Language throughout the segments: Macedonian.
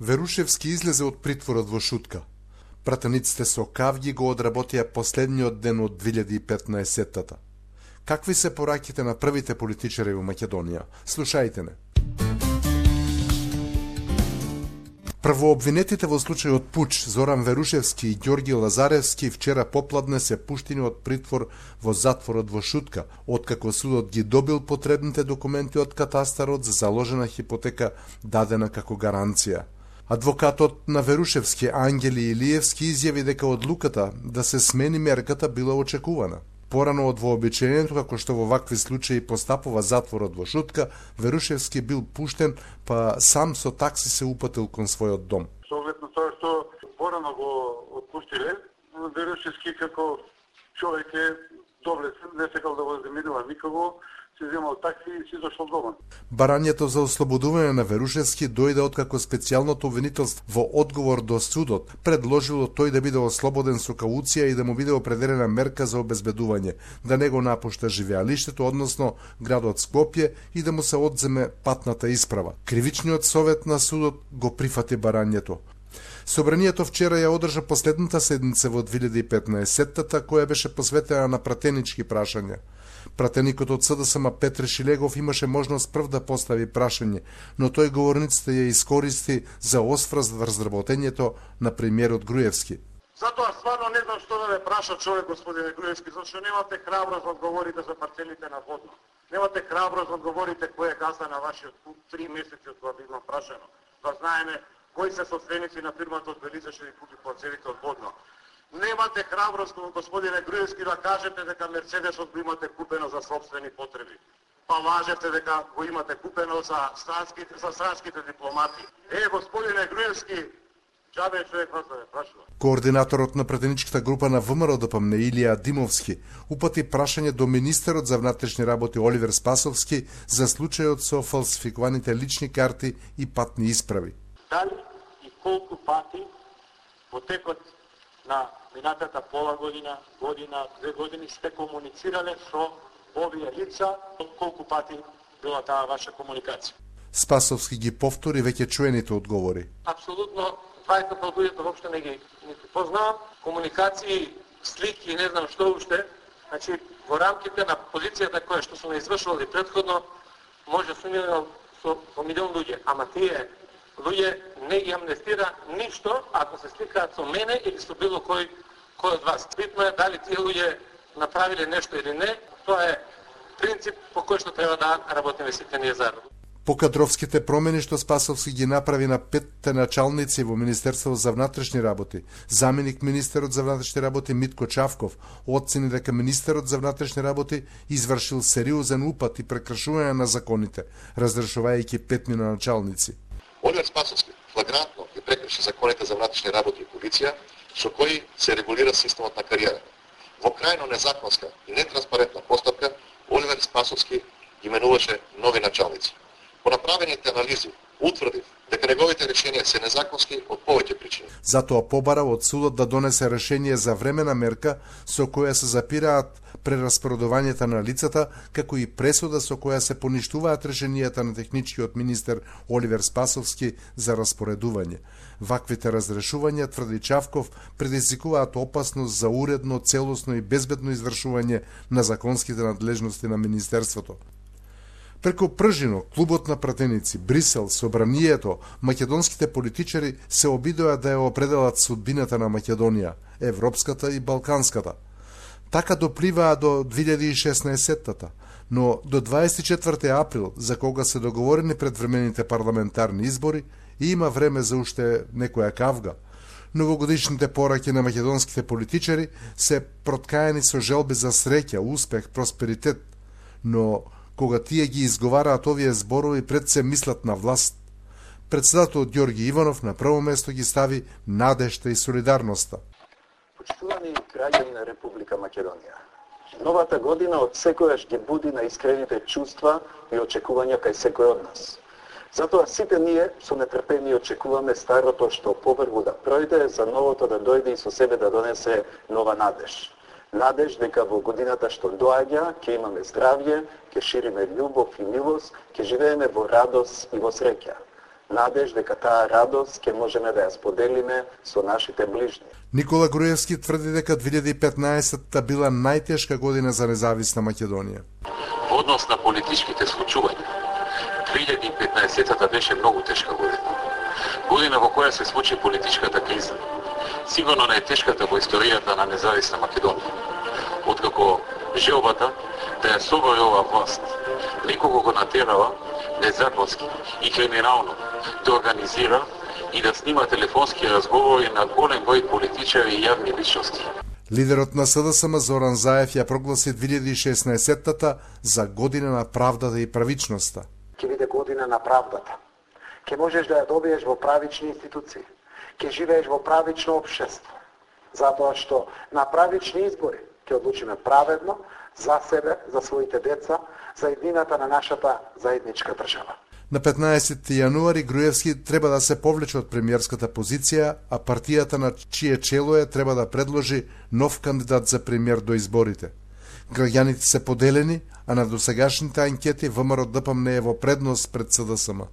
Верушевски излезе од притворот во шутка. Пратениците со кавги го одработија последниот ден од 2015-тата. Какви се пораките на првите политичари во Македонија? Слушајте не. Првообвинетите во случајот пуч Зоран Верушевски и Ѓорги Лазаревски вчера попладне се пуштени од притвор во затворот во Шутка, откако судот ги добил потребните документи од катастарот за заложена хипотека дадена како гаранција. Адвокатот на Верушевски Ангели Илиевски изјави дека одлуката да се смени мерката била очекувана. Порано од вообичаеното, како што во вакви случаи постапува затворот во Шутка, Верушевски бил пуштен, па сам со такси се упатил кон својот дом. Со оглед на тоа што порано го отпустиле, Верушевски како човек е доблесен, не сакал да го земидува никого, си земал такси и си дошол дома. Барањето за ослободување на Верушевски дојде откако специјалното обвинителство во одговор до судот предложило тој да биде ослободен со кауција и да му биде определена мерка за обезбедување, да не го напушта живеалиштето, односно градот Скопје, и да му се одземе патната исправа. Кривичниот совет на судот го прифати барањето. Собранието вчера ја одржа последната седница во 2015-тата, која беше посветена на пратенички прашања. Пратеникот од СДСМ Петре Шилегов имаше можност прв да постави прашање, но тој говорниците ја искористи за осврз врз работењето на премиерот Груевски. Затоа стварно не знам што да ве праша човек, господине Груевски, зашто немате храброст да одговорите за парцелите на Водно. Немате храброст да одговорите кој е газда на вашиот куп 3 месеци од кога бивам прашано. Да знаеме кои се собственици на фирмата од Белица што ви купи парцелите од Водно. Немате храброст, господине Груевски, да кажете дека Мерцедесот го имате купено за собствени потреби. Па лажете дека го имате купено за странските дипломати. Господине Груевски, џабе човек вас да ве прашува. Координаторот на пратеничката група на ВМРО-ДПМНЕ Илија Димовски упати прашање до министерот за внатрешни работи Оливер Спасовски за случајот со фалсификуваните лични карти и патни исправи. Дали и колку пати во текот на минатата пола година, 2 години сте комуницирале со овие лица, колку пати била таа ваша комуникација? Спасовски ги повтори веќе чуените одговори. Апсолутно, двајца од луѓето воопшто не ги познавам. Комуникации, слики, не знам што уште. Значи, во рамките на позицијата која што сум извршувал и претходно, може сумирано со милион луѓе, ама тие луѓе не ги амнестира ништо ако се сликаат со мене или со било кој од вас. Битно е дали тие луѓе направиле нешто или не, тоа е принцип по кој што треба да работиме сите ние заедно. По кадровските промени што Спасовски ги направи на 5 началници во Министерството за внатрешни работи, заменик министерот за внатрешни работи Митко Чавков оцени дека министерот за внатрешни работи извршил сериозен упат и прекршување на законите, разрешувајќи 5 началници. Оливер Спасовски флагрантно ги прекрши законите за внатрешни работи и полиција, со кои се регулира системот на кариера. Во крајно незаконска и нетранспарентна постапка, Оливер Спасовски именуваше нови началници. По направените анализи утврдив дека неговите решенија се незаконски од повеќе причини. Затоа побара од судот да донесе решение за времена мерка со која се запираат прераспоредувањето на лицата, како и пресуда со која се поништуваат решенијата на техничкиот министер Оливер Спасовски за распоредување. Ваквите разрешувања, тврди Чавков, предизвикуваат опасност за уредно, целосно и безбедно извршување на законските надлежности на министерството. Преку Пржино, клубот на пратеници, Брисел, Собранието, македонските политичари се обидоа да ја определат судбината на Македонија, европската и балканската. Така допливаа до 2016-тата, но до 24 април, за кога се договорени предвремените парламентарни избори, има време за уште некоја кавга. Новогодишните пораки на македонските политичари се проткаени со желби за среќа, успех, просперитет, но кога тие ги изговараат овие зборови, пред се мислат на власт. Председателот Ѓорги Иванов на прво место ги стави надежта и солидарноста. Почитувани граѓани на Република Македонија, новата година од секојаш ги буди на искрените чувства и очекувања кај секој од нас. Затоа сите ние со нетрпение очекуваме старото што побрзо да пројде, за новото да дојде и со себе да донесе нова надеж. Надеж дека во годината што доаѓа ќе имаме здравје, ќе шириме љубов и милост, ќе живееме во радост и во среќа. надеж дека таа радост ќе можеме да ја споделиме со нашите ближни. Никола Груевски тврди дека 2015-та била најтешка година за независна Македонија. Во однос на политичките случувања, 2015-та беше многу тешка година. Година во која се случи политичката криза. Сигурно најтешката во историјата на независна Македонија. Откако желбата да ја собори оваа власт, некого го натерала незаконски и криминално да организира и да снима телефонски разговори на голем број политичари и јавни личности. Лидерот на СДСМ Зоран Заев ја прогласи 2016-та за година на правдата и правичноста. Ќе биде година на правдата. Ќе можеш да ја добиеш во правични институции. Ќе живееш во правично општество. Затоа што на правични избори ќе одлучиме праведно за себе, за своите деца, за иднината на нашата заедничка држава. На 15 јануари Груевски треба да се повлече од премиерската позиција, а партијата на чие чело е треба да предложи нов кандидат за премиер до изборите. Граѓаните се поделени, а на досегашните анкети ВМРО-ДПМН е во предност пред СДСМ.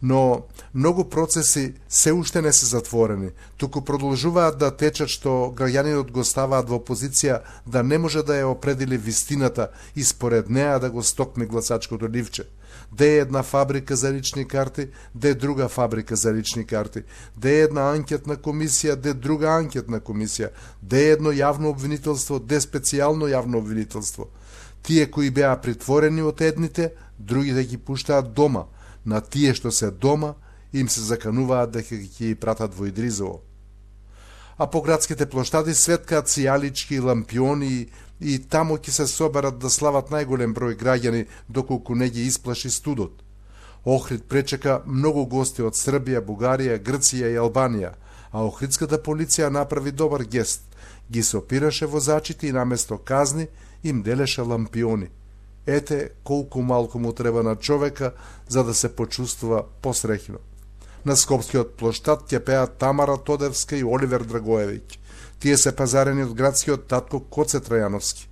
Но многу процеси се уште не се затворени, туку продолжуваат да течат што граѓанинот го ставаат во позиција да не може да ја определи вистината и според неа да го стокми гласачкото ливче. Де е една фабрика за лични карти, де друга фабрика за лични карти, де е една анкетна комисија, де друга анкетна комисија, де е едно јавно обвинителство, де специјално јавно обвинителство. Тие кои беа притворени од едните, другите ги пуштаат дома. На тие што се дома, им се закануваат дека ќе ги пратат во Идризово. А по градските плоштади светкаат сијалички, лампиони и таму ќе се соберат да слават најголем број граѓани доколку не ги исплаши студот. Охрид пречека многу гости од Србија, Бугарија, Грција и Албанија, а охридската полиција направи добар гест. Ги сопираше возачите и наместо казни им делеше лампиони. Ете колку малку му треба на човека за да се почувствува посреќно. На Скопскиот плоштад ќе пеат Тамара Тодевска и Оливер Драгоевиќ. Тие се пазарени од градскиот татко Коце Трајановски.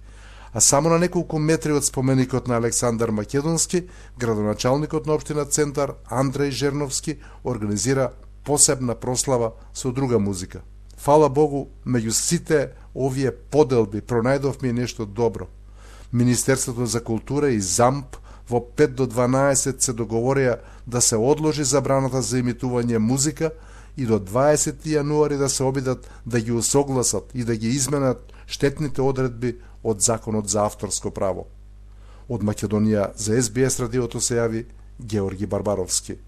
А само на неколку метри од споменикот на Александар Македонски, градоначалникот на општина Центар Андреј Жерновски организира посебна прослава со друга музика. Фала Богу, меѓу сите овие поделби пронајдовме и нешто добро. Министерството за култура и ЗАМП во 5 до 12 се договорија да се одложи забраната за имитување музика и до 20 јануари да се обидат да ги усогласат и да ги изменат штетните одредби од Законот за авторско право. Од Македонија за СБС радиото се јави Георги Барбаровски.